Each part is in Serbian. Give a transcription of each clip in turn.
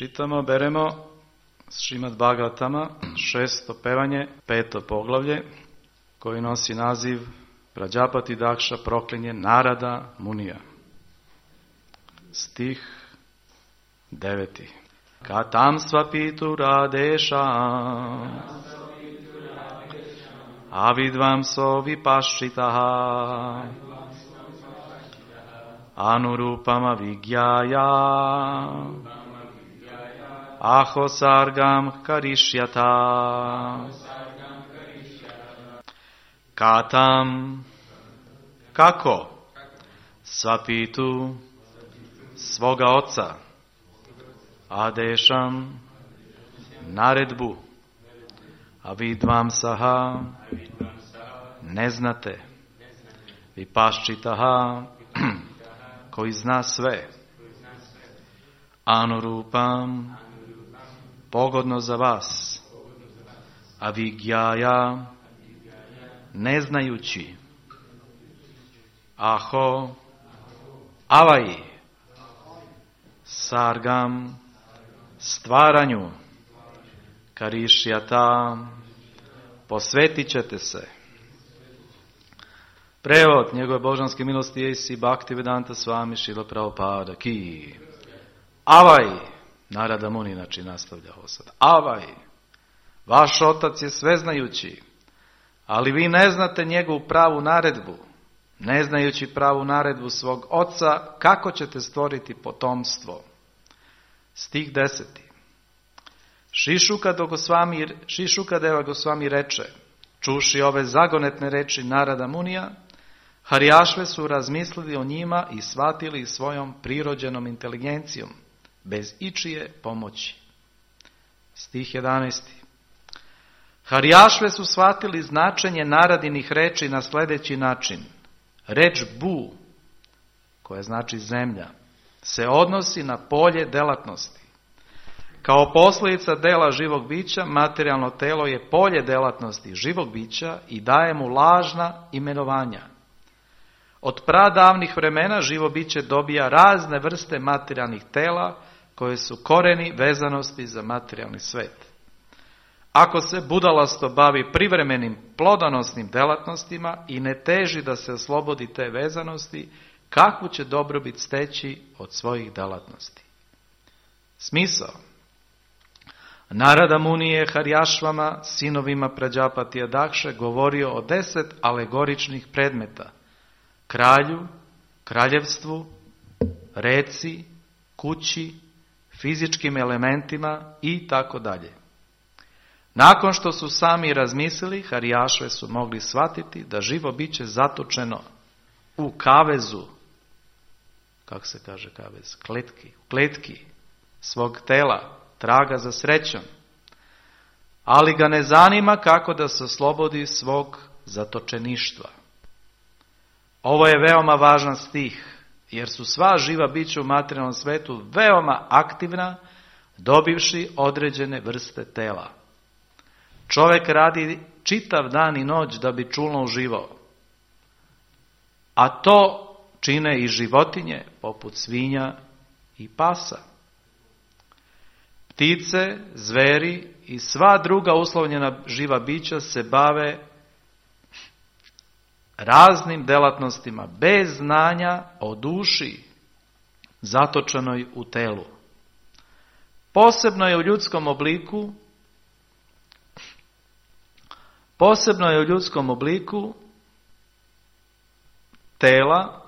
Čitamo, beremo Šrimad Bhagavatama, 6. pevanje, 5. poglavlje, koji nosi naziv Prađapati Dakša proklinje Narada Munija. Stih 9. Katam svapitu radeša avidvam so vipaščitaha anurupama vigyaya aho sargam karišyata. Katam, kako? Svapitu, svoga oca, adešam, naredbu, avidvam saha, ne znate, vipaščitaha, koji zna sve, anurupam, pogodno za vas, avigyaya, ne znajući, aho, avaji, sargam, stvaranju, karišyata, posvetit ćete se. Prevod njegove božanske milosti A.C. Bhaktivedanta Swami Srila Prabhupada ki. Avaj, Narada Muni, znači nastavlja ovo sad. Avaj, vaš otac je sveznajući, ali vi ne znate njegovu pravu naredbu. Ne znajući pravu naredbu svog oca, kako ćete stvoriti potomstvo? Stih 10. Šišukadeva Gosvami reče, čuši ove zagonetne reči Narada Munija, Harijašve su razmislili o njima i shvatili svojom prirođenom inteligencijom, bez ičije pomoći. Stih 11. Harijašve su shvatili značenje naradinih reči na sljedeći način. Reč bu, koja znači zemlja, se odnosi na polje delatnosti. Kao posljedica dela živog bića, materijalno telo je polje delatnosti živog bića i daje mu lažna imenovanja. Od pradavnih vremena živo biće dobija razne vrste materijalnih tela koje su koreni vezanosti za materijalni svet. Ako se budalasto bavi privremenim plodonosnim delatnostima i ne teži da se oslobodi te vezanosti, kakvu će dobrobit steći od svojih delatnosti? Smisao. Narada Muni je Harijašvama, sinovima Prađapatija Dakše, govorio o 10 alegoričnih predmeta. Kralju, kraljevstvu, reci, kući, fizičkim elementima i tako dalje. Nakon što su sami razmislili, Harijašve su mogli shvatiti da živo biće zatočeno u kavezu, kako se kaže kavez, kletki svog tela, traga za srećom, ali ga ne zanima kako da se oslobodi svog zatočeništva. Ovo je veoma važan stih, jer su sva živa bića u materijalnom svetu veoma aktivna, dobivši određene vrste tela. Čovjek radi čitav dan i noć da bi čulno uživao, a to čine i životinje poput svinja i pasa. Ptice, zveri i sva druga uslovljena živa bića se bave raznim delatnostima bez znanja o duši zatočenoj u telu. Posebno je u ljudskom obliku tela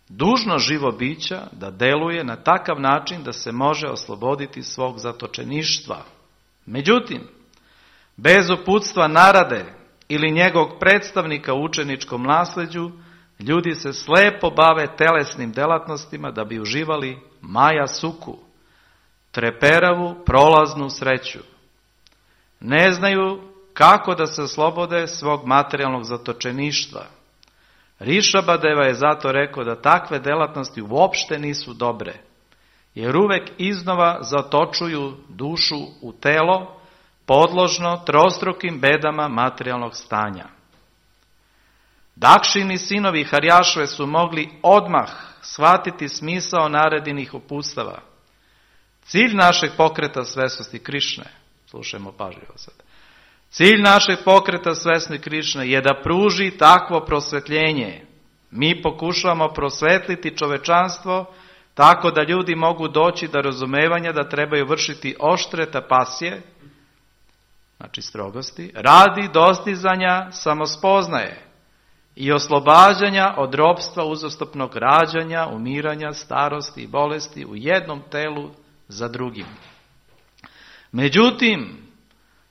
dužno živo bića da deluje na takav način da se može osloboditi svog zatočeništva. Međutim, bez uputstva Narade ili njegovog predstavnika u učeničkom nasljeđu, ljudi se slepo bave telesnim delatnostima da bi uživali maja suku, treperavu prolaznu sreću. Ne znaju kako da se oslobode svog materijalnog zatočeništva. Rišabadeva je zato rekao da takve delatnosti uopšte nisu dobre, jer uvek iznova zatočuju dušu u telo, podložno trostrukim bedama materijalnog stanja. Dakšini sinovi Harjašve su mogli odmah shvatiti smisao naredinih uputstava. Cilj našeg pokreta svesnosti Krišne, slušajmo pažljivo sad, cilj našeg pokreta svesnosti Krišne je da pruži takvo prosvetljenje. Mi pokušavamo prosvetliti čovečanstvo tako da ljudi mogu doći do razumevanja da trebaju vršiti oštre tapasije, znači strogosti, radi dostizanja samospoznaje i oslobađanja od ropstva uzastopnog rađanja, umiranja, starosti i bolesti u jednom telu za drugim. Međutim,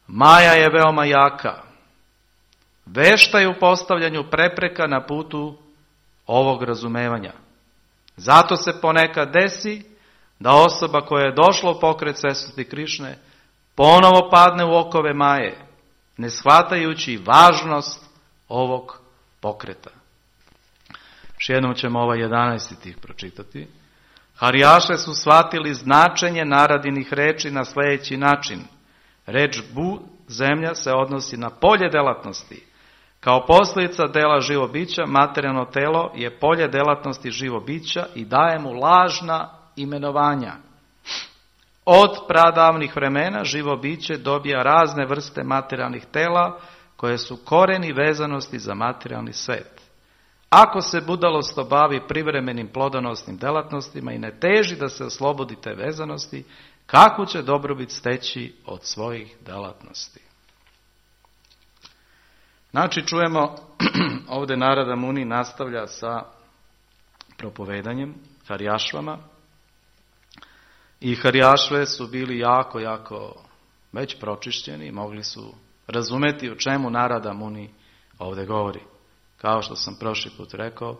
Maja je veoma jaka, vešta je u postavljanju prepreka na putu ovog razumevanja. Zato se ponekad desi da osoba koja je došla u pokret svesnosti Krišne ponovo padne u okove Maje, ne shvatajući važnost ovog pokreta. Još jednom ćemo ovaj 11. stih pročitati. Harijaše su shvatili značenje naradinih reči na sljedeći način. Reč bu, zemlja, se odnosi na polje delatnosti. Kao posljedica dela živo bića, materijalno telo je polje delatnosti živo bića i daje mu lažna imenovanja. Od pradavnih vremena živo biće dobija razne vrste materijalnih tela koje su koreni vezanosti za materijalni svet. Ako se budalost obavi privremenim plodonosnim delatnostima i ne teži da se oslobodi te vezanosti, kakvu će dobrobit steći od svojih delatnosti? Znači, čujemo, ovdje Narada Muni nastavlja sa propovedanjem Harijašvama. I Harijašve su bili jako već pročišćeni, mogli su razumeti o čemu Narada Muni ovdje govori. Kao što sam prošli put rekao,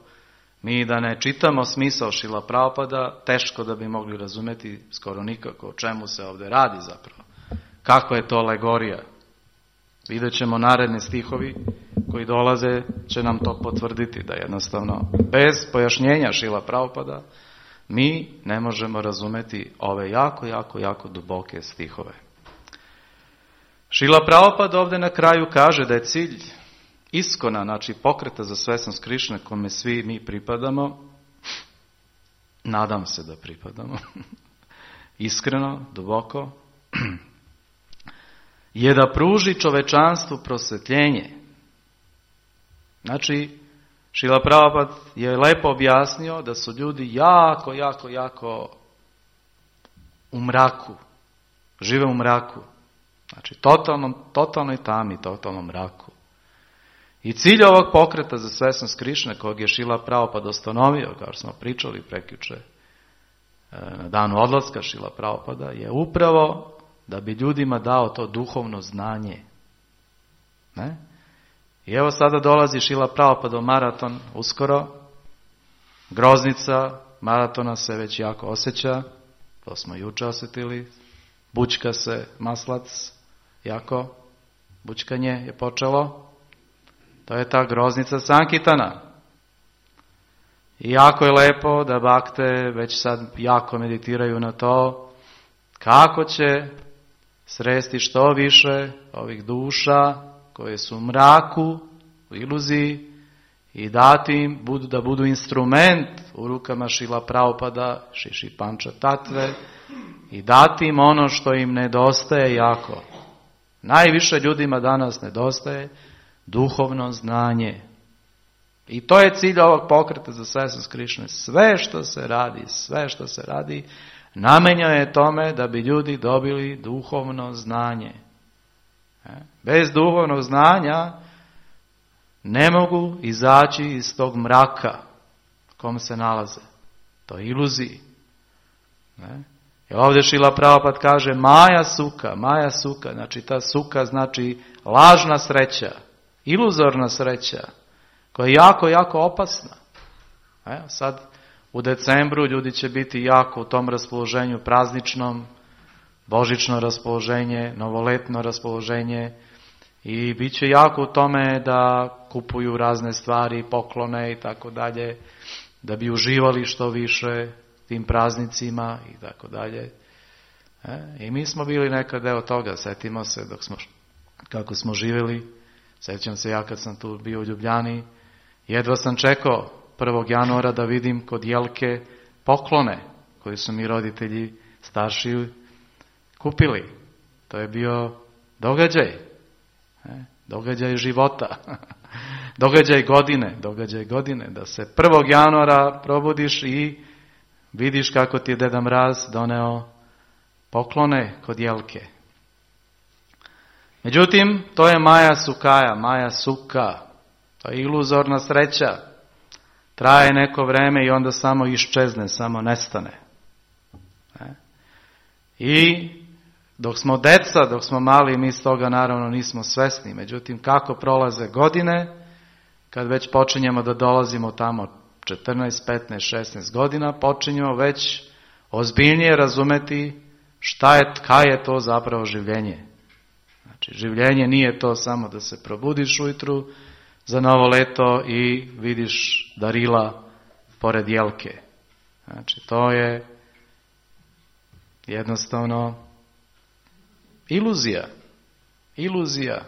mi da ne čitamo smisao Šrila Prabhupada, teško da bi mogli razumeti skoro nikako o čemu se ovdje radi zapravo. Kako je to alegorija? Vidjet ćemo naredni stihovi koji dolaze, će nam to potvrditi da jednostavno bez pojašnjenja Šrila Prabhupada mi ne možemo razumeti ove jako duboke stihove. Šrila Prabhupada ovdje na kraju kaže da je cilj iskona, znači pokreta za svesnost Krišne kome svi mi pripadamo, nadam se da pripadamo, iskreno, duboko, je da pruži čovečanstvu prosvetljenje. Znači, Šrila Prabhupada je lepo objasnio da su ljudi jako u mraku, žive u mraku. Znači, totalnoj tami, totalnom mraku. I cilj ovog pokreta za svesnost Krišne, kojeg je Šrila Prabhupada ustanovio, kao što smo pričali prekjuče na danu odlaska Šrila Prabhupada, je upravo da bi ljudima dao to duhovno znanje. Ne? I evo sada dolazi Šrila Prabhupada maraton uskoro. Groznica maratona se već jako osjeća. To smo juče osjetili. Bučka se maslac jako. Bučkanje je počelo. To je ta groznica Sankitana. I jako je lepo da bakte već sad jako meditiraju na to kako će sresti što više ovih duša koje su u mraku, u iluziji i dati im da budu instrument u rukama Šrila Prabhupada, Šiši Panča Tatve i dati im ono što im nedostaje jako. Najviše ljudima danas nedostaje duhovno znanje. I to je cilj ovog pokreta za svesnost Krišne. Sve što se radi, namenjeno je tome da bi ljudi dobili duhovno znanje. Bez duhovnog znanja ne mogu izaći iz tog mraka u kom se nalaze. To je iluziji. I ovdje Šrila Prabhupada kaže Maja suka, znači ta suka znači lažna sreća, iluzorna sreća, koja je jako opasna. Sad u decembru ljudi će biti jako u tom raspoloženju prazničnom, božično raspoloženje, novoletno raspoloženje i bit će jako u tome da kupuju razne stvari, poklone i tako dalje, da bi uživali što više tim praznicima i tako dalje. I mi smo bili nekad deo toga, setimo se kako smo živjeli, sjećam se ja kad sam tu bio u Ljubljani, jedva sam čekao 1. januara da vidim kod Jelke poklone koje su mi roditelji starši kupili. To je bio događaj. Događaj života. Događaj godine. Da se 1. januara probudiš i vidiš kako ti je Deda Mraz doneo poklone kod jelke. Međutim, to je Maja Suka. To je iluzorna sreća. Traje neko vreme i onda samo iščezne, samo nestane. I dok smo deca, dok smo mali, mi s toga naravno nismo svesni. Međutim, kako prolaze godine, kad već počinjemo da dolazimo tamo 14, 15, 16 godina, počinjemo već ozbiljnije razumeti kaj je to zapravo življenje. Znači, življenje nije to samo da se probudiš ujutru za novo leto i vidiš darila pored jelke. Znači, to je jednostavno iluzija,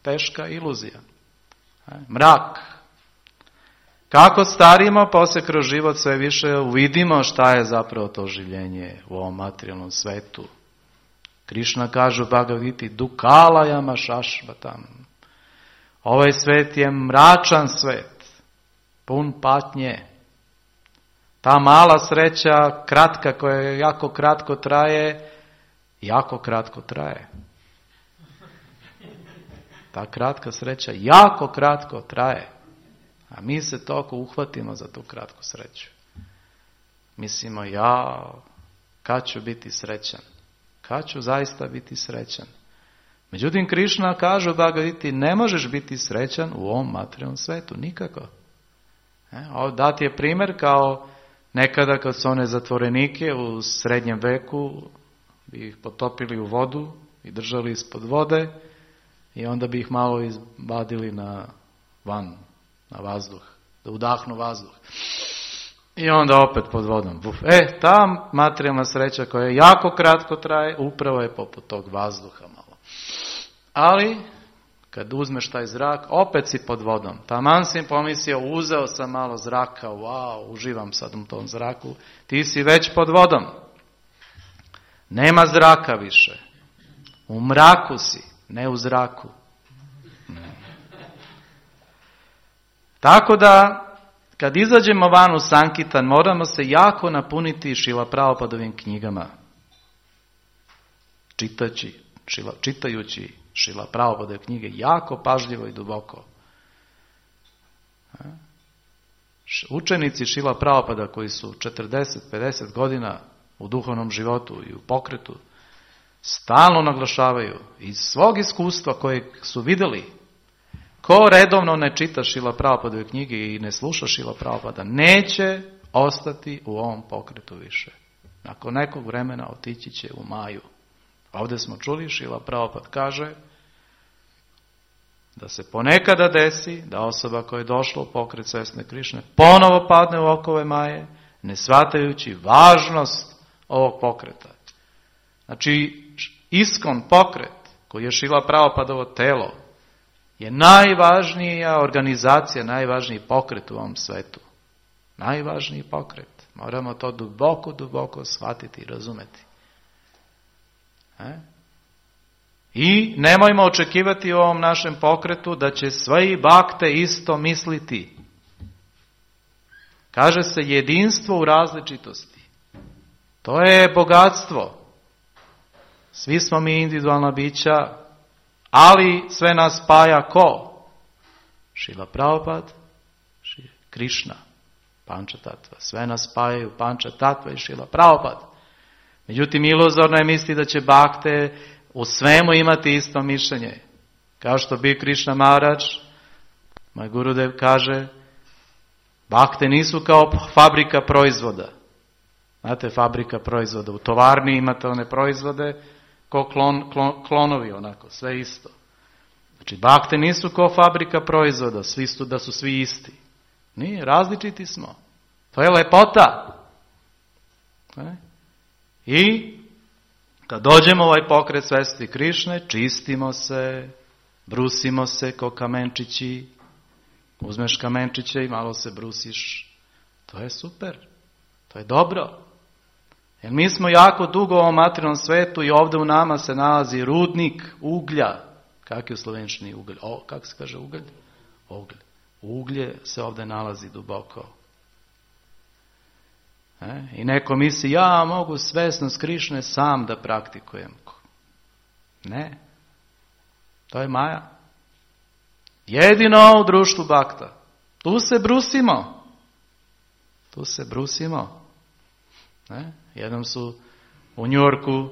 teška iluzija. Mrak. Kako starimo, poslije kroz život sve više uvidimo šta je zapravo to življenje u ovom materijalnom svetu. Krišna kaže u Bhagavad Giti, dukalajama šašvatam. Ovaj svet je mračan svet, pun patnje. Ta mala sreća, kratka, koja jako kratko traje. Ta kratka sreća jako kratko traje. A mi se toliko uhvatimo za tu kratku sreću. Mislimo, kad ću biti srećan? Kad ću zaista biti srećan? Međutim, Krišna kaže u Bhagavad Giti, ne možeš biti srećan u ovom materijalnom svetu, nikako. Dat je primjer kao nekada kad su one zatvorenike u srednjem veku, bi ih potopili u vodu i držali ispod vode i onda bi ih malo izbadili na vazduh, da udahnu vazduh. I onda opet pod vodom. Ta materijalna sreća koja jako kratko traje, upravo je poput tog vazduha malo. Ali, kad uzmeš taj zrak, opet si pod vodom. Taman si pomislio, uzeo sam malo zraka, uživam sad u tom zraku. Ti si već pod vodom. Nema zraka više. U mraku si, ne u zraku. Tako da, kad izađemo van u Sankitan, moramo se jako napuniti Šrila Prabhupadovim knjigama. Čitajući Šrila Prabhupadove knjige jako pažljivo i duboko. Učenici Šrila Prabhupada koji su 40-50 godina u duhovnom životu i u pokretu stalno naglašavaju iz svog iskustva kojeg su vidjeli, ko redovno ne čita Šrila Prabhupadove knjige i ne sluša Šrila Prabhupada, neće ostati u ovom pokretu više. Nakon nekog vremena otići će u Maju. Ovdje smo čuli, Šrila Prabhupada kaže da se ponekada desi da osoba koja je došla u pokret svesne Krišne ponovo padne u okove Maje, ne shvatajući važnost ovog pokreta. Znači, Iskon pokret, koji je Šrila Prabhupadovo telo, je najvažnija organizacija, najvažniji pokret u ovom svetu. Najvažniji pokret. Moramo to duboko shvatiti i razumeti. I nemojmo očekivati u ovom našem pokretu da će svi bakte isto misliti. Kaže se jedinstvo u različitosti. To je bogatstvo. Svi smo mi individualna bića, ali sve nas spaja ko? Šrila Prabhupada, Krišna, Panča Tatva. Sve nas spajaju Panča Tatva i Šrila Prabhupada. Međutim, iluzorno je misli da će bakte u svemu imati isto mišljenje. Kao što bi Krišna Maharaj, moj Gurudev kaže, bakte nisu kao fabrika proizvoda. Znate, fabrika proizvoda. U tovarni imate one proizvode ko klonovi, onako, sve isto. Znači, bakte nisu kao fabrika proizvoda, da su svi isti. Nije, različiti smo. To je lepota. I kad dođemo u ovaj pokret svesti Krišne, čistimo se, brusimo se ko kamenčići, uzmeš kamenčiće i malo se brusiš. To je super, to je dobro. Jer mi smo jako dugo u ovom materijalnom svetu i ovdje u nama se nalazi rudnik uglja. Kak je u slovenčini uglj? Kako se kaže uglj? Uglj. Uglje se ovdje nalazi duboko. I neko misli, ja mogu svesnost Krišne sam da praktikujem. Ne. To je maja. Jedino u društvu bakta. Tu se brusimo. Tu se brusimo. Jednom su u Njujorku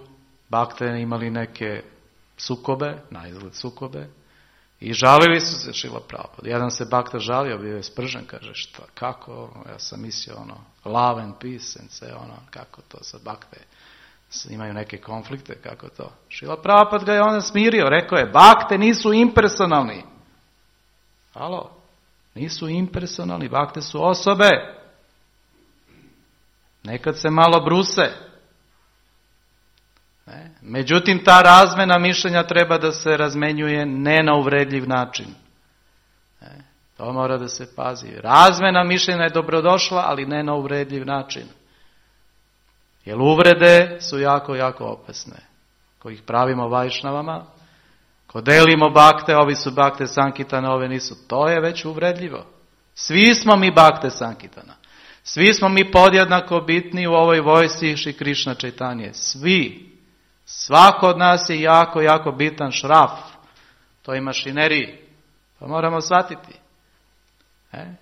bakte imali neke sukobe, na izgled sukobe, i žalili su se Šrila Prabhupada. Jedan se bakta žalio, bio je spržen, kaže, šta, kako, ja sam mislio, love and peace, and sve, kako to sa bakte, imaju neke konflikte, kako to. Šrila Prabhupada ga je onda smirio, rekao je, bakte nisu impersonalni. Halo, nisu impersonalni, bakte su osobe. Nekad se malo bruse. Međutim, ta razmjena mišljenja treba da se razmenjuje ne na uvredljiv način. To mora da se pazi. Razmjena mišljenja je dobrodošla, ali ne na uvredljiv način. Jer uvrede su jako, jako opasne. Ko ih pravimo vajšnavama, ko delimo bakte, ovi su bakte Sankitana, ove nisu. To je već uvredljivo. Svi smo mi bakte Sankitana. Svi smo mi podjednako bitni u ovoj vojsci Šri Krišna Čaitanije. Svi. Svako od nas je jako, jako bitan šraf toj mašineriji. To moramo shvatiti.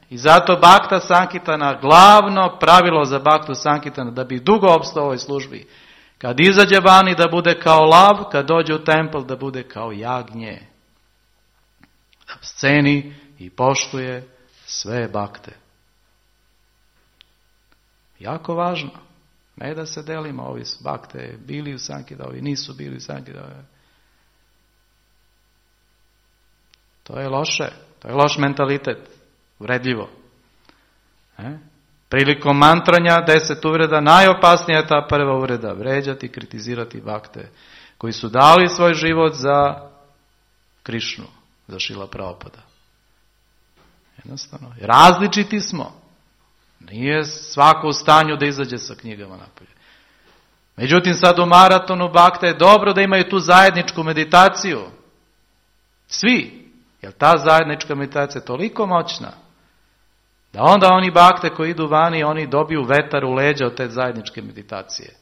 I zato bakta Sankitana, glavno pravilo za baktu Sankitana, da bi dugo opstao u ovoj službi, kad izađe vani da bude kao lav, kad dođe u templ da bude kao jagnje. Da sceni i poštuje sve bakte. Jako važno. Ne da se delimo, ovi su bakte bili u Sankita, ovi nisu bili u Sankita. To je loše. To je loš mentalitet. Vredljivo. Prilikom mantranja 10 uvreda, najopasnija je ta prva uvreda. Vređati, kritizirati bakte koji su dali svoj život za Krišnu, za Šrila Prabhupada. Jednostavno. Različiti smo. Nije svako u stanju da izađe sa knjigama napolje. Međutim, sad u maratonu bakta je dobro da imaju tu zajedničku meditaciju. Svi. Jer ta zajednička meditacija je toliko moćna da onda oni bakte koji idu vani, oni dobiju vetar u leđa od te zajedničke meditacije.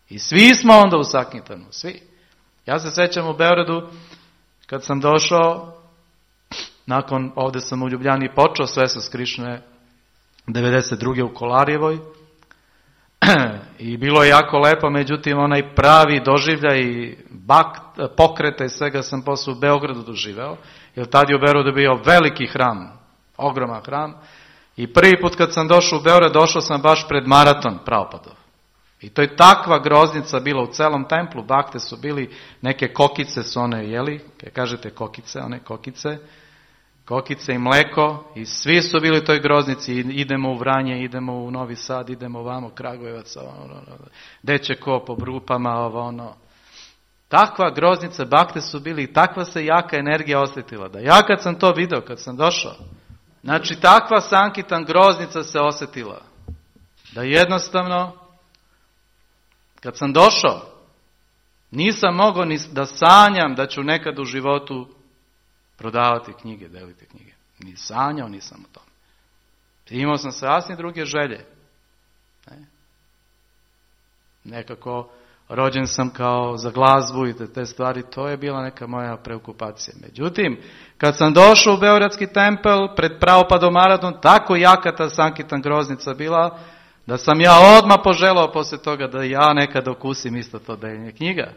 I svi smo onda u Sankitanu. Svi. Ja se sjećam u Beogradu kad sam došao, nakon ovdje sam u Ljubljani počeo svesnost Krišne 92. u Kolarjevoj i bilo je jako lepo, međutim onaj pravi doživljaj i pokreta i svega sam posle u Beogradu doživeo, jer tad je u Beogradu bio veliki hram, ogroman hram, i prvi put kad sam došao u Beograd, došao sam baš pred maraton Prabhupadov. I to je takva groznica bila u celom templu, bakte su bili, neke kokice su one jeli, kažete kokice, one kokice i mleko, i svi su bili u toj groznici, idemo u Vranje, idemo u Novi Sad, idemo vamo, Kragujevac, deće ko po brupama, Takva groznica, bakte su bili, i takva se jaka energija osjetila, da ja kad sam to video, kad sam došao, znači takva Sankitan groznica se osjetila, da jednostavno, kad sam došao, nisam mogao ni da sanjam da ću nekad u životu prodavati knjige, deliti knjige. Ni sanjao nisam o tome. Imao sam sasvim druge želje. Nekako rođen sam kao za glazbu i te stvari, to je bila neka moja preokupacija. Međutim, kad sam došao u Beogradski tempel pred Prabhupadom maraton, tako jaka ta Sankitan groznica bila, da sam ja odmah poželao poslije toga da ja nekad okusim isto to deljenje knjiga.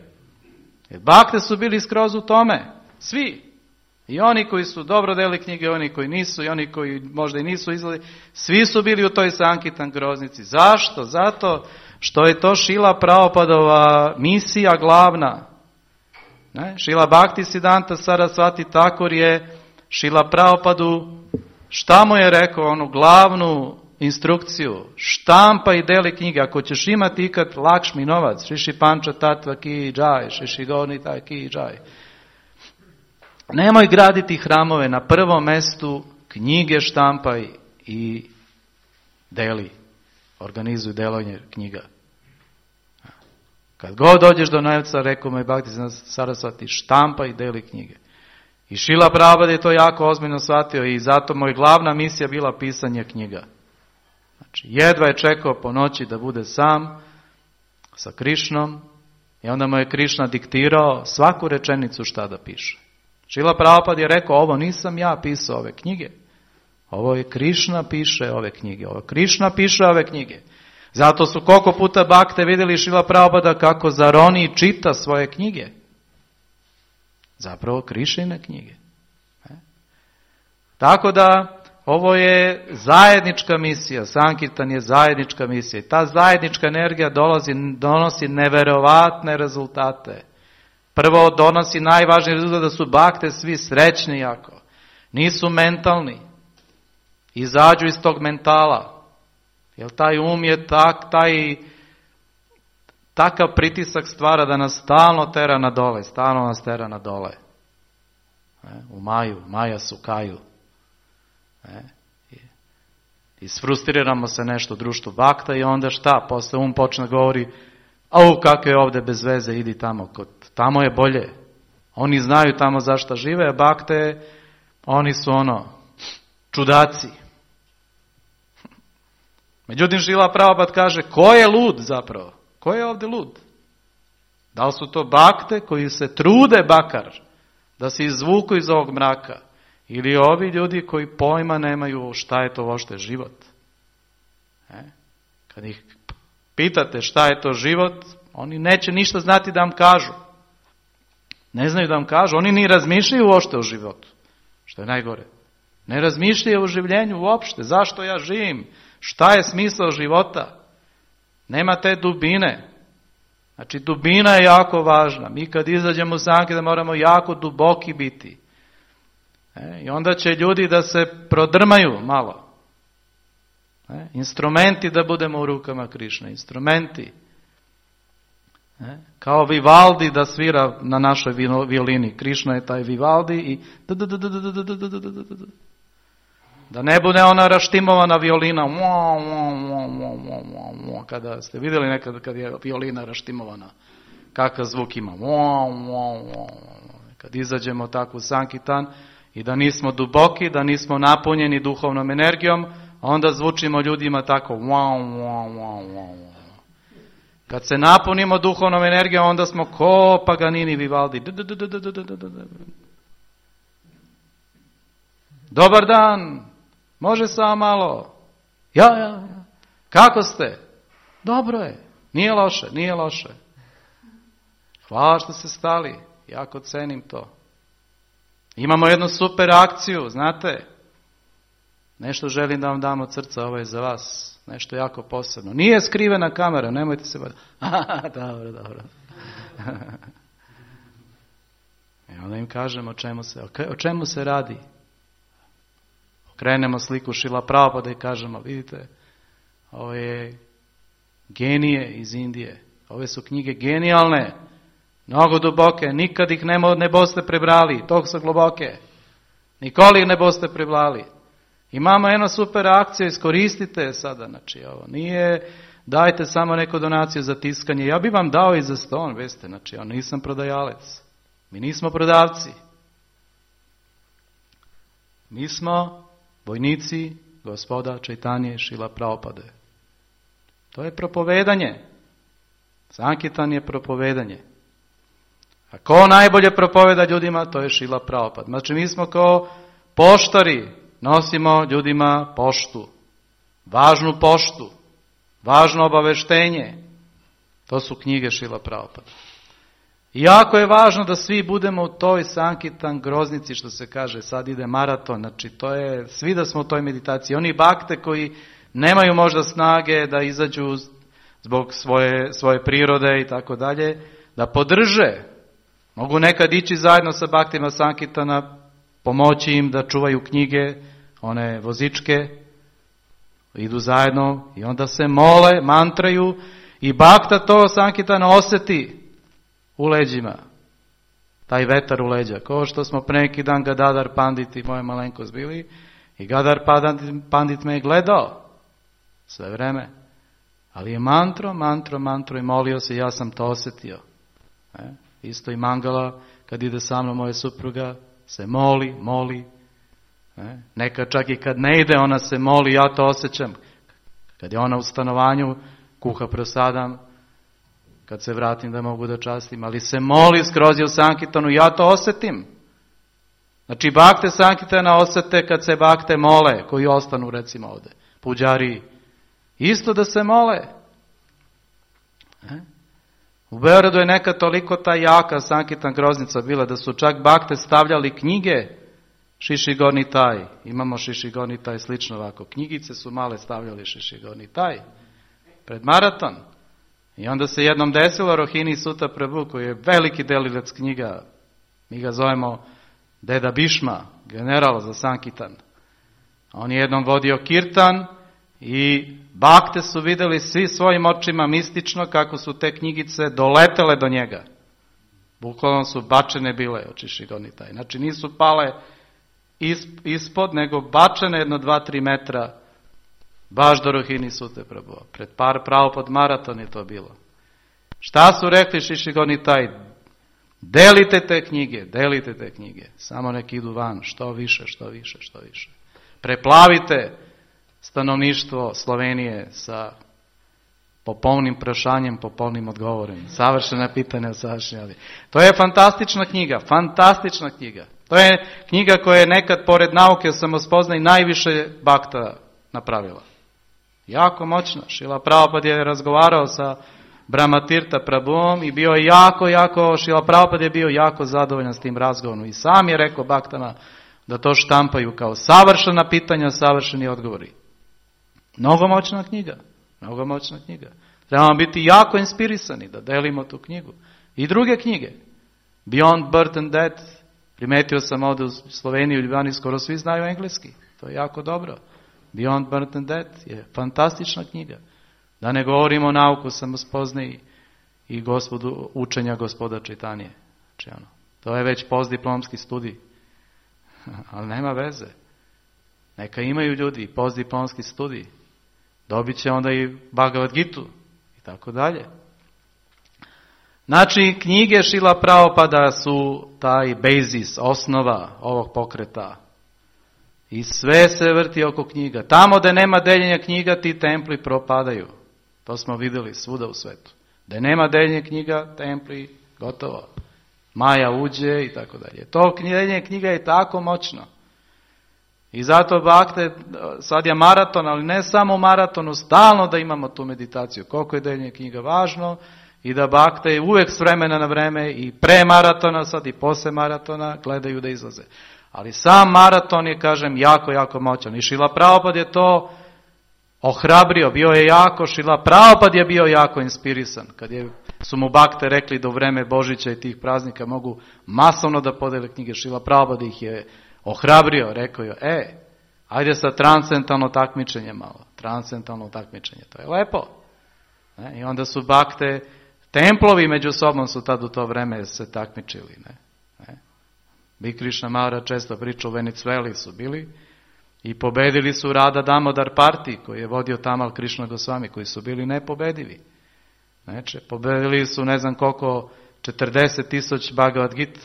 Jer bakte su bili skroz u tome. Svi. I oni koji su dobro delili knjige, oni koji nisu, i oni koji možda i nisu izgledali, svi su bili u toj Sankitan groznici. Zašto? Zato što je to Šrila Prabhupadova misija glavna. Šrila Bhaktisiddhanta Sarasvati Thakur je Šrila Prabhupadu, šta mu je rekao, onu glavnu instrukciju, štampa i deli knjige, ako ćeš imati ikad Lakšmi novac, Šiši Panča Tatva ki džaj, Šiši Gornita ki džaj. Nemoj graditi hramove, na prvom mestu knjige štampaj i deli, organizuj delovanje knjiga. Kad god dođeš do novca, rekao mu je Bhaktivedanta Sarasvati, štampa i deli knjige. I Šrila Prabhupada je to jako ozbiljno shvatio i zato mu je glavna misija bila pisanje knjiga. Znači, jedva je čekao po noći da bude sam sa Krišnom i onda mu je Krišna diktirao svaku rečenicu šta da piše. Šrila Prabhupada je rekao, ovo nisam ja pisao ove knjige. Ovo je Krišna piše ove knjige. Ovo Krišna piše ove knjige. Zato su koliko puta bakte vidjeli Šrila Prabhupada kako zaroni i čita svoje knjige. Zapravo Krišine knjige. Tako da ovo je zajednička misija, Sankirtan je zajednička misija i ta zajednička energija donosi neverovatne rezultate. Prvo donosi najvažniji rezultat da su bakte svi srećni jako, nisu mentalni, izađu iz tog mentala, jer taj um je takav pritisak stvara da nas stalno tera na dole, stalno nas tera na dole. U Maja su kaju. Isfrustriramo se nešto u društvu bakta i onda šta? Posle počne govori, kako je ovdje bez veze, idi tamo, tamo je bolje. Oni znaju tamo zašto žive, a bakte, oni su čudaci. Međutim, Šrila Prabhupada kaže, ko je lud zapravo? Ko je ovdje lud? Da li su to bakte koji se trude bakar da se izvuku iz ovog mraka? Ili ovi ljudi koji pojma nemaju šta je to uopšte život? Kad ih pitate šta je to život, oni neće ništa znati da vam kažu. Ne znaju da vam kažu, oni ni razmišljaju uopšte o životu. Što je najgore. Ne razmišljaju o življenju uopšte. Zašto ja živim? Šta je smisao života? Nema te dubine. Znači, dubina je jako važna. Mi kad izađemo u Sankirtan moramo jako duboki biti. I onda će ljudi da se prodrmaju malo. Instrumenti da budemo u rukama Krišne. Instrumenti. Kao Vivaldi da svira na našoj violini. Krišna je taj Vivaldi i da ne bude ona raštimovana violina. Kada ste vidjeli nekad kad je violina raštimovana, kakav zvuk ima. Kad izađemo tako u Sankirtan i da nismo duboki, da nismo napunjeni duhovnom energijom, onda zvučimo ljudima tako. Kad se napunimo duhovnom energijom, onda smo ko Paganini, Vivaldi. Dobar dan, može samo malo. Ja. Kako ste? Dobro je, nije loše. Hvala što ste stali, jako cenim to. Imamo jednu super akciju, znate. Nešto želim da vam dam od srca, ovo je za vas. Nešto jako posebno. Nije skrivena kamera, nemojte se baviti. Dobro. I onda im kažemo o čemu se radi. Okrenemo sliku Šrila Prabhupada i kažemo, vidite, ovo je genije iz Indije. Ove su knjige genijalne, mnogo duboke, nikad ih ne boste prebrali, toliko su globoke. Nikoli ih ne boste prebrali. Imamo jednu super akciju, iskoristite sada, znači ovo nije, dajte samo neku donaciju za tiskanje, ja bi vam dao i za ston, veste, znači ja nisam prodajalec, mi nismo prodavci, mi smo vojnici gospoda Čaitanje i Šrila Prabhupade. To je propovedanje, Sankirtan je propovedanje. A ko najbolje propoveda ljudima, to je Šrila Prabhupada. Znači mi smo kao poštari, nosimo ljudima poštu, važno obaveštenje. To su knjige Šrila Prabhupada. I jako je važno da svi budemo u toj Sankirtan groznici, što se kaže, sad ide maraton, znači to je, svi da smo u toj meditaciji. Oni bakte koji nemaju možda snage da izađu zbog svoje prirode i tako dalje, da podrže. Mogu nekad ići zajedno sa baktima Sankirtana, pomoći im da čuvaju knjige, one vozičke, idu zajedno i onda se mole, mantraju i bakta to Sankirtana osjeti u leđima. Taj vetar u leđa. Kao što smo pre neki dan Gadadhar Pandit i moje malenkost bili i Gadadhar Pandit me je gledao sve vreme. Ali je mantro i molio se, ja sam to osjetio. Isto i Mangala, kad ide sa mnom moja supruga, se moli. Neka čak i kad ne ide, ona se moli, ja to osjećam. Kad je ona u stanovanju, kuha prosadam, kad se vratim da mogu da častim, ali se moli skroz je u Sankirtanu, ja to osjetim. Znači, bakte Sankirtana osjete kad se bakte mole, koji ostanu recimo ovde, puđari, isto da se mole. U Beogradu je nekad toliko ta jaka Sankirtan groznica bila da su čak bakte stavljali knjige Šišigorni taj. Imamo Šišigorni taj slično ovako. Knjigice su male stavljali Šišigorni taj pred maraton. I onda se jednom desilo Rohini Sutta Prabhu, koji je veliki delilac knjiga, mi ga zovemo Deda Bishma, general za Sankirtan. On je jednom vodio kirtan i bakte su vidjeli svi svojim očima mistično kako su te knjigice doletele do njega. Bukvalno su bačene bile od Šišigorni taj. Znači nisu pale ispod, nego bačene 1-2-3 metra baš do Rohini Sutte Prabhu. Pred pravo pod maraton je to bilo. Šta su rekli Šišigorni taj? Delite te knjige. Samo nek idu van, što više. Preplavite stanovništvo Slovenije sa popolnim prašanjem, popolnim odgovorom. Savršena pitanja, savršena. To je fantastična knjiga. To je knjiga koja je nekad pored nauke o samospoznaju najviše bakta napravila. Jako moćna. Šrila Prabhupada je razgovarao sa Brahmatirtha Prabhuom i bio je Šrila Prabhupada je bio jako zadovoljan s tim razgovorom. I sam je rekao baktama da to štampaju kao savršena pitanja, savršeni odgovori. Mnogo moćna knjiga. Trebamo biti jako inspirisani da delimo tu knjigu. I druge knjige. Beyond Birth and Death. Primetio sam ovdje u Sloveniji, u Ljubljani, skoro svi znaju engleski. To je jako dobro. Beyond Birth and Death je fantastična knjiga. Da ne govorimo o nauku samospoznaji i učenja gospoda Čaitanije. Znači, to je već postdiplomski studij. Ali nema veze. Neka imaju ljudi postdiplomski studij. Dobit će onda i Bhagavad Gitu i tako dalje. Znači, knjige Šrila Prabhupada su taj basis, osnova ovog pokreta. I sve se vrti oko knjiga. Tamo da nema deljenja knjiga, ti templi propadaju. To smo vidjeli svuda u svetu. Da nema deljenja knjiga, templi, gotovo. Maja uđe i tako dalje. To deljenje knjiga je tako moćno. I zato bakte, sad je maraton, ali ne samo maratonu, stalno da imamo tu meditaciju. Koliko je deljenje knjiga važno i da bakte uvek s vremena na vreme i pre maratona, sad i posle maratona gledaju da izlaze. Ali sam maraton je, kažem, jako moćan. I Šrila Prabhupada je to ohrabrio, bio je jako, Šrila Prabhupada je bio jako inspirisan. Kad su mu bakte rekli da u vreme Božića i tih praznika mogu masovno da podele knjige, Šrila Prabhupada ih je ohrabrio, rekao je, ajde sa transcendentalno takmičenje malo. Transcendentalno takmičenje, to je lepo. I onda su bakte, templovi među sobom su tad u to vreme se takmičili. Bi Krišna Maharaj često pričao, u Venecueli su bili i pobedili su Radha Damodar Party, koji je vodio Tamal Krišna Gosvami, koji su bili nepobedivi. Znači, pobedili su ne znam koliko, 40,000 Bhagavad Gita,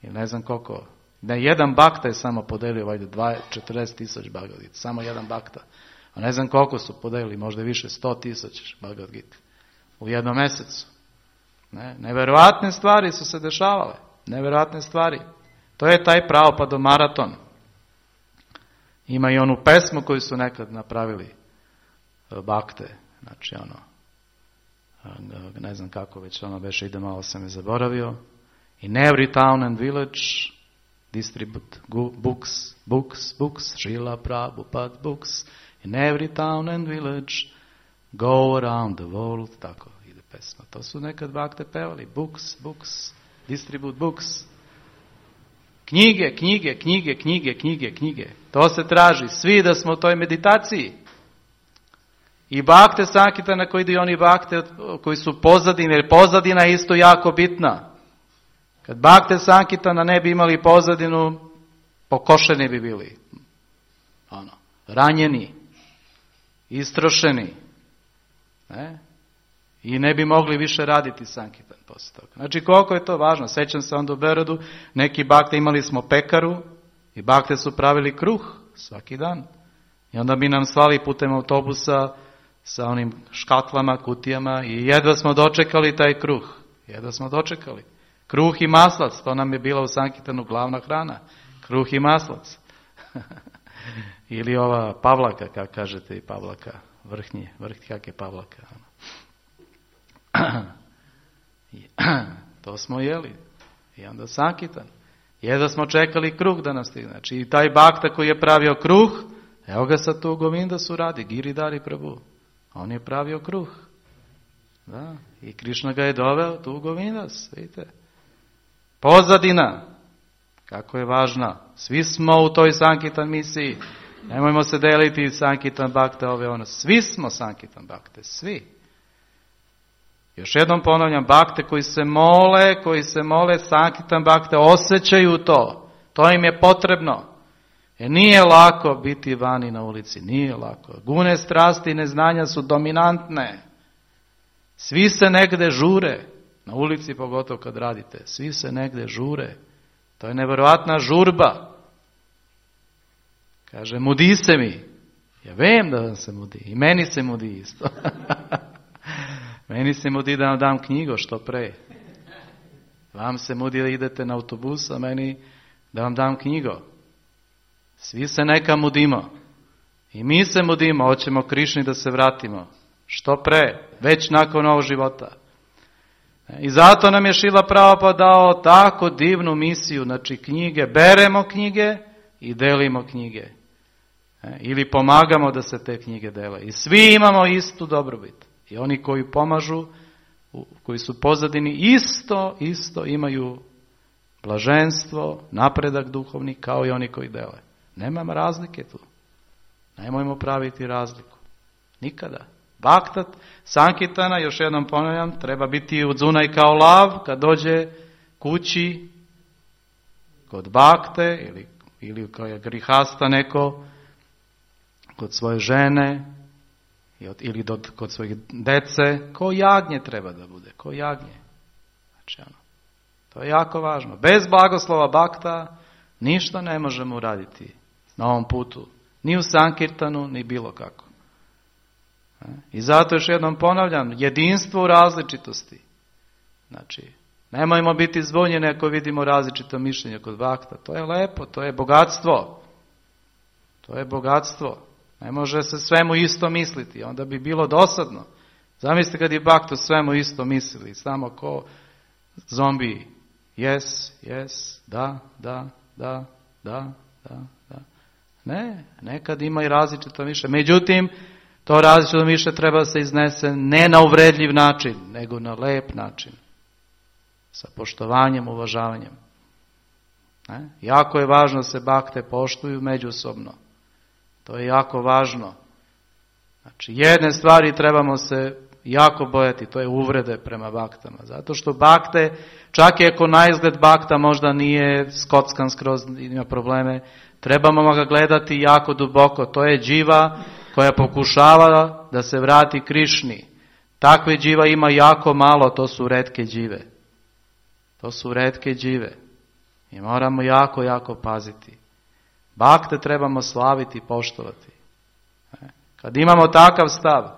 ili ne znam koliko. Ne, jedan bakta je samo podelio, 40,000 Bhagavad Gita, samo jedan bakta. A ne znam koliko su podelili, možda više, 100,000 Bhagavad Gita u jednom mesecu. Neverovatne stvari su se dešavale. Neverovatne stvari. To je taj Prabhupada maraton. Ima i onu pesmu koju su nekad napravili bakte. Znači ne znam kako već ono beše, ide malo sam je zaboravio. In every town and village distribute books, Srila Prabhupada books. In every town and village go around the world. Tako ide pesma. To su nekad bakte pevali. Books. Distribute books. Knjige. To se traži. Svi da smo u toj meditaciji. I bakte Sankirtana koji idu, oni bakte koji su pozadine, jer pozadina je isto jako bitna. Kad bakte Sankirtana ne bi imali pozadinu, pokošeni bi bili. Ranjeni, istrošeni. Ne? I ne bi mogli više raditi sankitan posle toga. Znači koliko je to važno. Sećam se onda u Berodu, neki bakte, imali smo pekaru i bakte su pravili kruh svaki dan. I onda bi nam slali putem autobusa sa onim škatlama, kutijama i jedva smo dočekali taj kruh. Jedva smo dočekali. Kruh i maslac, to nam je bila u sankitanu glavna hrana. Kruh i maslac. Ili ova pavlaka, kako kažete i pavlaka, vrhnji, kak je pavlaka. To smo jeli. I onda sankitan. Jedva smo čekali kruh da nam stigne. Znači i taj bakta koji je pravio kruh, evo ga sad tu u Govindasu radi, Giridhari Prabhu. On je pravio kruh. Da. I Krišna ga je doveo tu u Govindas, vidite. Pozadina, kako je važna. Svi smo u toj sankitan misiji. Nemojmo se deliti sankitan bakte, ove ono. Svi smo sankitan bakte, svi. Još jednom ponavljam, bakte koji se mole sankitan bakte, osjećaju to. To im je potrebno. Jer nije lako biti vani na ulici, nije lako. Gune, strasti i neznanja su dominantne. Svi se negde žure, na ulici pogotovo kad radite, svi se negde žure. To je nevjerojatna žurba. Kaže, mudi se mi. Ja vem da vam se mudi. I meni se mudi isto. Meni se mudi da vam dam knjigo što pre. Vam se mudi da idete na autobus, a meni da vam dam knjigo. Svi se neka mudimo. I mi se mudimo, hoćemo Krišni da se vratimo. Što pre, već nakon ovog života. I zato nam je Šrila Prabhupada dao tako divnu misiju, znači knjige, beremo knjige i delimo knjige. Ili pomagamo da se te knjige dele. I svi imamo istu dobrobit. I oni koji pomažu, koji su pozadini, isto imaju blaženstvo, napredak duhovni, kao i oni koji dele. Nemam razlike tu. Nemojmo praviti razliku. Nikada. Baktat, sankitana, još jednom ponavljam, treba biti udzunaj kao lav kad dođe kući kod bakte ili kao je grihasta neko kod svoje žene ili kod svojih dece, ko jagnje treba da bude, ko jagnje. Znači to je jako važno. Bez blagoslova bakta ništa ne možemo uraditi na ovom putu. Ni u sankirtanu, ni bilo kako. I zato još jednom ponavljam, jedinstvo u različitosti. Znači, nemojmo biti zbunjeni ako vidimo različito mišljenje kod bakta. To je lepo, to je bogatstvo. To je bogatstvo. Ne može se svemu isto misliti, onda bi bilo dosadno. Zamislite kad je bakto svemu isto mislili, samo ko zombiji. Yes, da. Ne, nekad ima i različito mišljenje. Međutim, to različito mišljenje treba se iznese ne na uvredljiv način, nego na lep način. Sa poštovanjem, uvažavanjem. Jako je važno da se bakte poštuju međusobno. To je jako važno. Znači, jedne stvari trebamo se jako bojati, to je uvrede prema baktama. Zato što bakte, čak i ako na izgled bakta možda nije skockan skroz, ima probleme, trebamo ga gledati jako duboko. To je dživa koja pokušava da se vrati Krišni. Takve dživa ima jako malo, to su retke džive. To su retke džive. I moramo jako paziti. Bakte trebamo slaviti i poštovati. Kad imamo takav stav,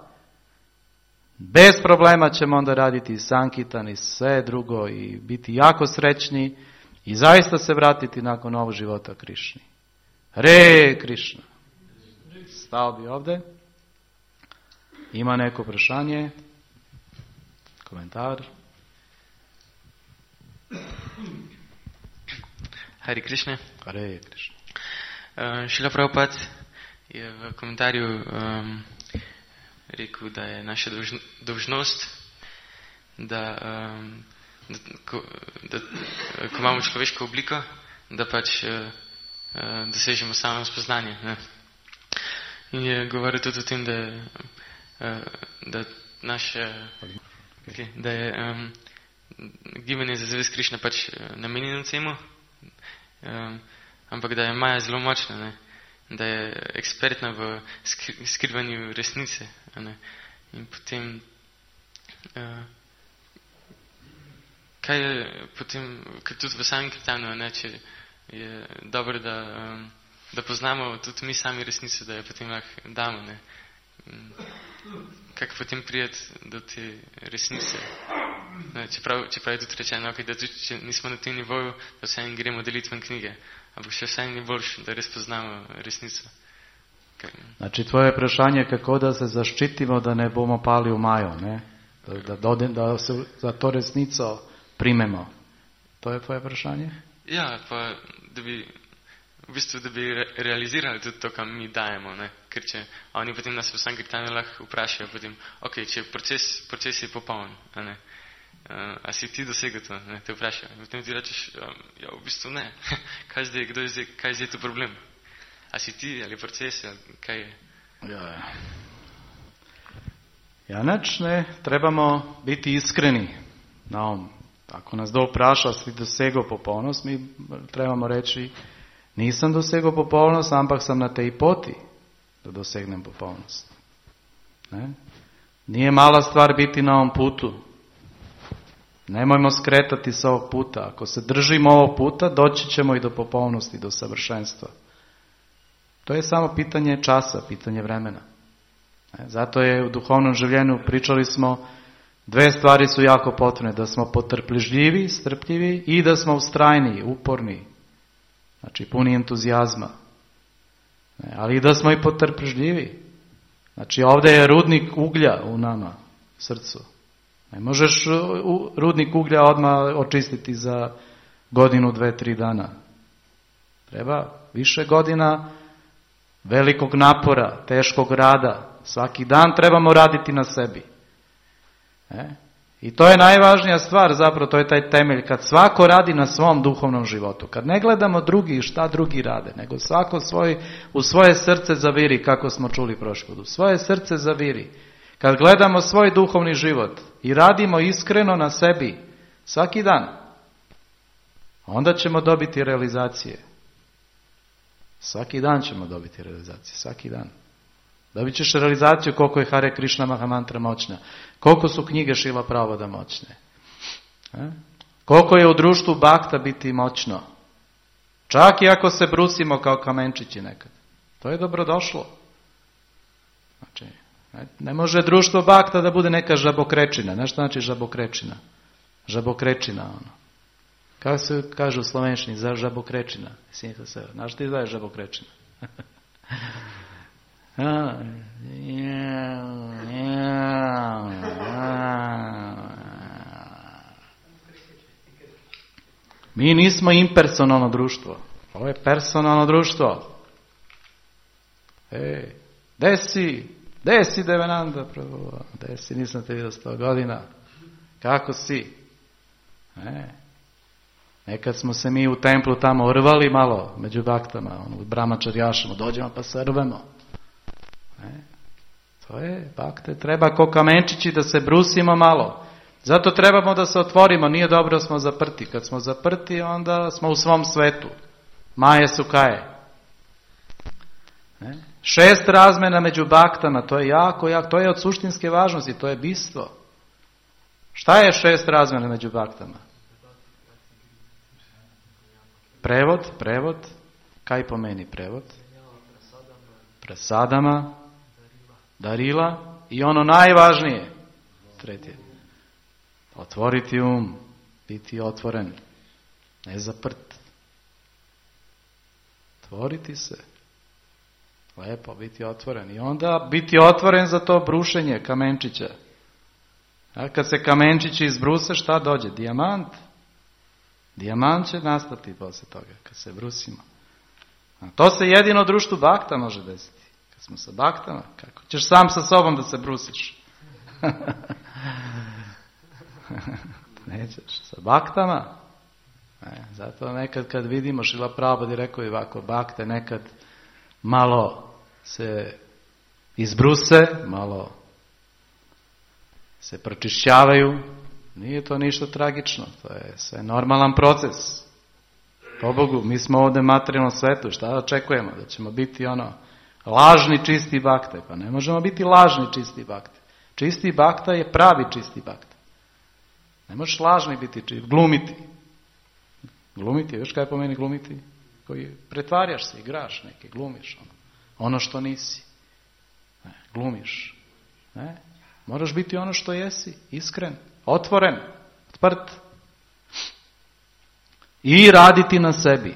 bez problema ćemo onda raditi i sankitan i sve drugo i biti jako srećni i zaista se vratiti nakon ovog života Krišni. Hare Krišna. Stao bi ovdje. Ima neko vprašanje? Komentar? Hare Krišna. Hare Krišna. Šrila Prabhupada je v komentarju rekel, da je naša dolžnost, da ko imamo človeško obliko, da pač dosežemo samo spoznanje. Ne? In je govoril tudi o tem, da je gibanje za zavest Krišna pač namenjeno temu, ampak da je Maja zelo močna, ne? Da je ekspertna v skrivanju resnice. Ne? In potem kaj je potem, ker tudi v samem kirtanu, če je dobro, da poznamo tudi mi sami resnico, da jo potem lahko damo. Ne? Kako potem prijeti do te resnice? Ne, čeprav je tudi rečeno, da tudi, če nismo na tem nivoju, da vse en gremo deliti ven knjige, ampak še vse ni boljš, da res poznamo resnico. Znači, tvoje vprašanje, kako da se zaščitimo, da ne bomo pali v maju, ne? Da se za to resnico primemo. To je tvoje vprašanje? Ja, pa da bi realizirali tudi to, kam mi dajemo, ne? Ker če oni potem nas v samem kirtanu lahko vprašajo, potem, ok, če proces je popoln, a si ti dosegel to, ne? Te vprašajo. Potem ti rečeš, ja, v bistvu ne. Kaj je zdaj to problem? A si ti ali proces, ali kaj je? Ja, ne, trebamo biti iskreni na ovom. Ako nas kdo vpraša, si dosegel popolnost, mi trebamo reći, nisam dosegel popolnost, ampak sam na tej poti da dosegnem popolnost. Ne? Nije mala stvar biti na ovom putu. Nemojmo skretati s ovog puta. Ako se držimo ovog puta, doći ćemo i do popolnosti, do savršenstva. To je samo pitanje časa, pitanje vremena. Zato je u duhovnom življenju, pričali smo, dve stvari su jako potrebne, da smo potrpežljivi, strpljivi i da smo ustrajni, uporni, znači puni entuzijazma. Ali i da smo i potrpežljivi. Znači ovdje je rudnik uglja u nama, srcu. Ne možeš rudnik uglja odmah očistiti za godinu, 2-3 dana. Treba više godina velikog napora, teškog rada. Svaki dan trebamo raditi na sebi. I to je najvažnija stvar, zapravo to je taj temelj, kad svako radi na svom duhovnom životu. Kad ne gledamo drugi šta drugi rade, nego svako u svoje srce zaviri, kako smo čuli prošli put. U svoje srce zaviri. Kad gledamo svoj duhovni život i radimo iskreno na sebi svaki dan, onda ćemo dobiti realizacije. Svaki dan ćemo dobiti realizacije, svaki dan. Dobit ćeš realizaciju koliko je Hare Krishna Mahamantra moćna, koliko su knjige Šila Pravoda moćne, koliko je u društvu bakta biti moćno. Čak i ako se brusimo kao kamenčići nekad. To je dobrodošlo. Znači, ne može društvo bakta da bude neka žabokrečina. Znaš što znači žabokrečina? Žabokrečina, ono. Kako se kaže u slovenščini za žabokrečina? Znaš ti da je žabokrečina? Mi nismo impersonalno društvo. Ovo je personalno društvo. Gde si Devananda? Gde si, nisam te vidio 100 godina. Kako si? Nekad smo se mi u templu tamo rvali malo među baktama, u brahmačarjašama, dođemo pa se rvemo. To je bakte, treba ko kamenčići da se brusimo malo. Zato trebamo da se otvorimo, nije dobro smo zaprti. Kad smo zaprti, onda smo u svom svetu. Maje sukaje. 6 razmena među baktama, to je jako, to je od suštinske važnosti, to je bistvo. Šta je 6 razmena među baktama? Prevod, kaj pomeni prevod? Prasadama, darila i ono najvažnije, treće, otvoriti biti otvoren, ne zaprt. Otvoriti se, lepo biti otvoren i onda biti otvoren za to brušenje kamenčića. A kad se kamenčići izbruse, šta dođe? Dijamant. Dijamant će nastati posle toga, kad se brusimo. A to se jedino u društvu bakta može desiti. Kad smo sa baktama, kako ćeš sam sa sobom da se brusiš? Nećeš, sa baktama. Zato nekad kad vidimo, Šrila Prabhupada je rekao i ovako, bakte nekad malo se izbruse, malo se pročišćavaju. Nije to ništa tragično, to je sve normalan proces. Pobogu, mi smo ovdje u materijalnom svetu, šta očekujemo? Da ćemo biti lažni čisti bakte. Pa ne možemo biti lažni čisti bakte. Čisti bakta je pravi čisti bakta. Ne možeš lažni biti čist, glumiti. Glumiti, još kaj pomeni glumiti? Koji pretvarjaš se, igraš neke, glumiš ono što nisi. Ne, glumiš. Ne? Moraš biti ono što jesi, iskren, otvoren, otprt. I raditi na sebi.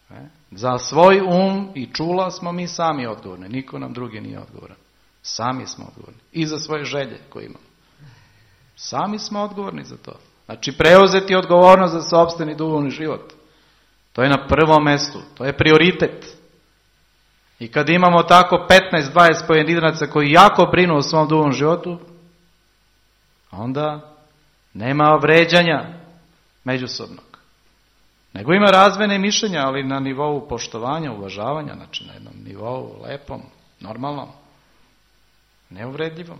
Ne? Za svoj i čula smo mi sami odgovorni, niko nam drugi nije odgovoran. Sami smo odgovorni. I za svoje želje koje imamo. Sami smo odgovorni za to. Znači preuzeti odgovornost za sopstveni duhovni život. To je na prvom mjestu. To je prioritet. I kad imamo tako 15-20 pojedinaca koji jako brinu o svom duhovnom životu, onda nema vređanja međusobnog. Nego ima razmjene mišljenja, ali na nivou poštovanja, uvažavanja, znači na jednom nivou lepom, normalnom, neuvredljivom.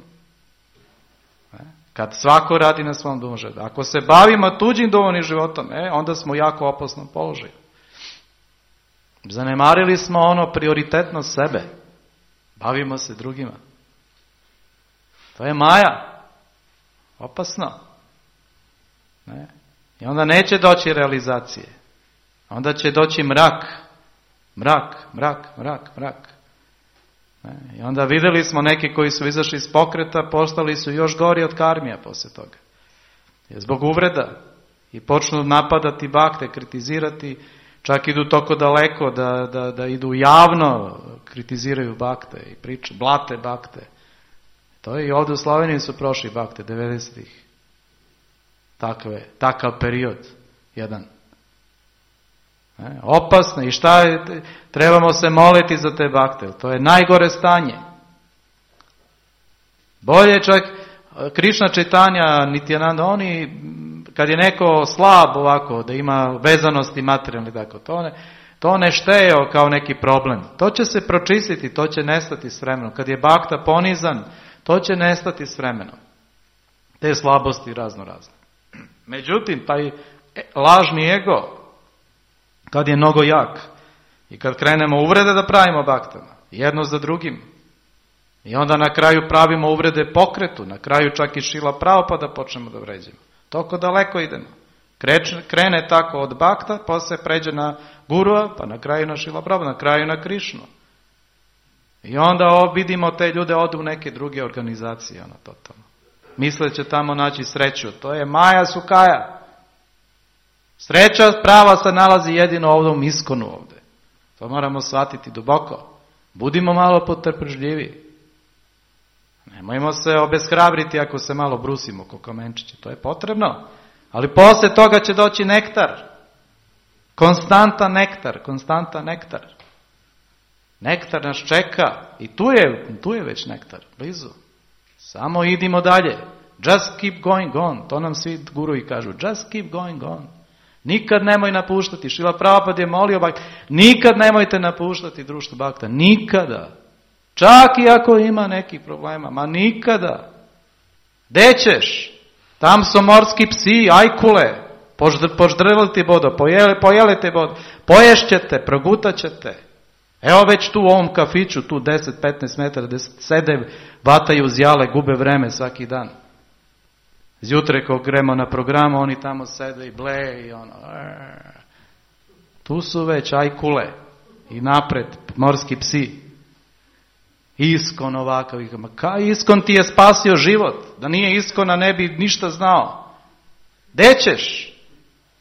Kad svako radi na svom duhovnom životu. Ako se bavimo tuđim duhovnim životom, onda smo u jako opasnom položaju. Zanemarili smo ono prioritetno sebe. Bavimo se drugima. To je maja. Opasno. Ne? I onda neće doći realizacije. Onda će doći mrak. Mrak. Ne? I onda vidjeli smo neki koji su izašli iz pokreta, postali su još gori od karmija poslije toga. Jer zbog uvreda. I počnu napadati bakte, kritizirati. Čak idu toko daleko da idu javno, kritiziraju bakte i priču, blate bakte. To je i ovdje u Sloveniji su prošli bakte, 90-ih. Takav period, jedan. Opasno. I šta je? Trebamo se moliti za te bakte. To je najgore stanje. Bolje čak Krišna Čaitanja, Nityananda, oni, kad je neko slab ovako, da ima vezanosti materijalni, tako, to ne šteo kao neki problem. To će se pročistiti, to će nestati s vremenom. Kad je bakta ponizan, to će nestati s vremenom. Te slabosti razno. Međutim, taj lažni ego, kad je mnogo jak i kad krenemo uvrede da pravimo baktama, jedno za drugim, i onda na kraju pravimo uvrede pokretu, na kraju čak i Šila Prabhupada počnemo da vređamo. Toliko daleko idemo. Krene tako od bakta, posle pređe na gurua, pa na kraju na Šila Prabhupada, na kraju na Krišnu. I onda vidimo te ljude odu u neke druge organizacije, totalno. Misle će tamo naći sreću. To je Maja Sukaja. Sreća prava se nalazi jedino ovdje u Iskonu ovdje. To moramo shvatiti duboko. Budimo malo potrpežljivi. Nemojmo se obeshrabriti ako se malo brusimo ko kamenčiće. To je potrebno. Ali poslije toga će doći nektar. Konstantan nektar. Nektar nas čeka. I tu je već nektar. Blizu. Samo idimo dalje. Just keep going on. To nam svi guruji kažu. Just keep going on. Nikad nemoj napuštati. Šrila Prabhupada je molio bakta. Nikad nemojte napuštati društvo bakta. Nikada. Čak i ako ima nekih problema. Ma nikada. Gde ćeš? Tam su morski psi, ajkule. Poždrvili ti bodo. Pojeli te bodo. Poješćete, progutat ćete. Evo već tu u ovom kafiću, tu 10-15 metara, gdje sede, vataju zjale, gube vreme svaki dan. Zjutre ko gremo na programu, oni tamo sede i bleje i ono. Tu su već ajkule i napred morski psi. Iskon ovakav. Iskon ti je spasio život. Da nije Iskona ne bi ništa znao. Gde ćeš?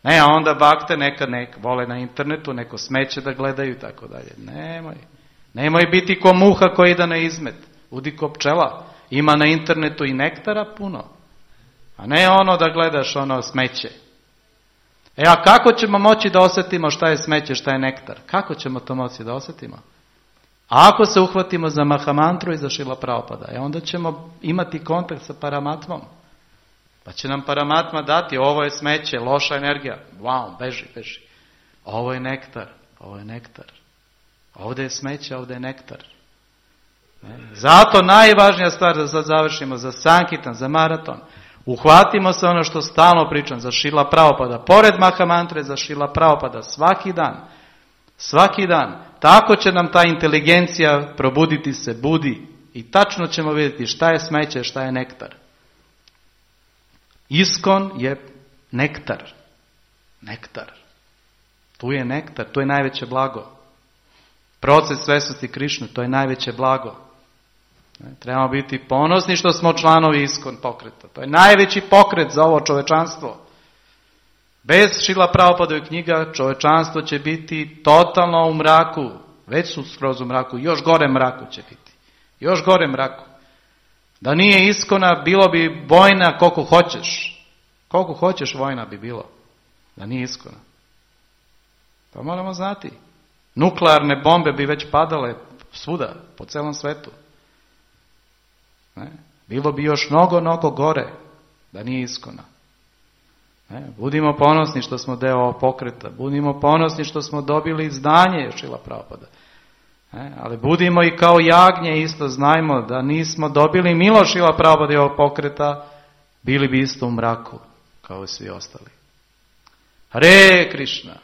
Ne, a onda bakte nekad vole na internetu, neko smeće da gledaju i tako dalje. Nemoj biti ko muha koji ide na izmet. Budi ko pčela. Ima na internetu i nektara puno. A ne ono da gledaš ono smeće. A kako ćemo moći da osjetimo šta je smeće, šta je nektar? Kako ćemo to moći da osjetimo? A ako se uhvatimo za Mahamantru i za Šrila Prabhupada, onda ćemo imati kontakt sa Paramatmom. Pa će nam Paramatma dati, ovo je smeće, loša energija. Wow, beži. Ovo je nektar. Ovdje je smeće, ovdje je nektar. Zato najvažnija stvar da sad završimo za Sankitan, za maraton. Uhvatimo se ono što stalno pričam za Šrila Prabhupada. Pored Mahamantre za Šrila Prabhupada svaki dan. Tako će nam ta inteligencija probuditi se, budi. i tačno ćemo vidjeti šta je smeće, šta je nektar. Iskon je nektar. Nektar. Tu je nektar, to je najveće blago. Proces svesnosti Krišne, to je najveće blago. Trebamo biti ponosni što smo članovi Iskon pokreta. To je najveći pokret za ovo čovečanstvo. Bez Šrila Prabhupadove knjiga čovečanstvo će biti totalno u mraku. Već su skroz u mraku, još gore mraku će biti. Još gore mraku. Da nije Iskona, bilo bi vojna koliko hoćeš. Koliko hoćeš vojna bi bilo. Da nije Iskona. To moramo znati. Nuklearne bombe bi već padale svuda, po celom svetu. Bilo bi još mnogo gore da nije Iskona. Budimo ponosni što smo deo ovog pokreta. Budimo ponosni što smo dobili izdanje Šrila Prabhupada. Ali budimo i kao jagnje isto, znajmo da nismo dobili milost Šrila Prabhupada i ovog pokreta, bili bi isto u mraku kao i svi ostali. Hare Krishna.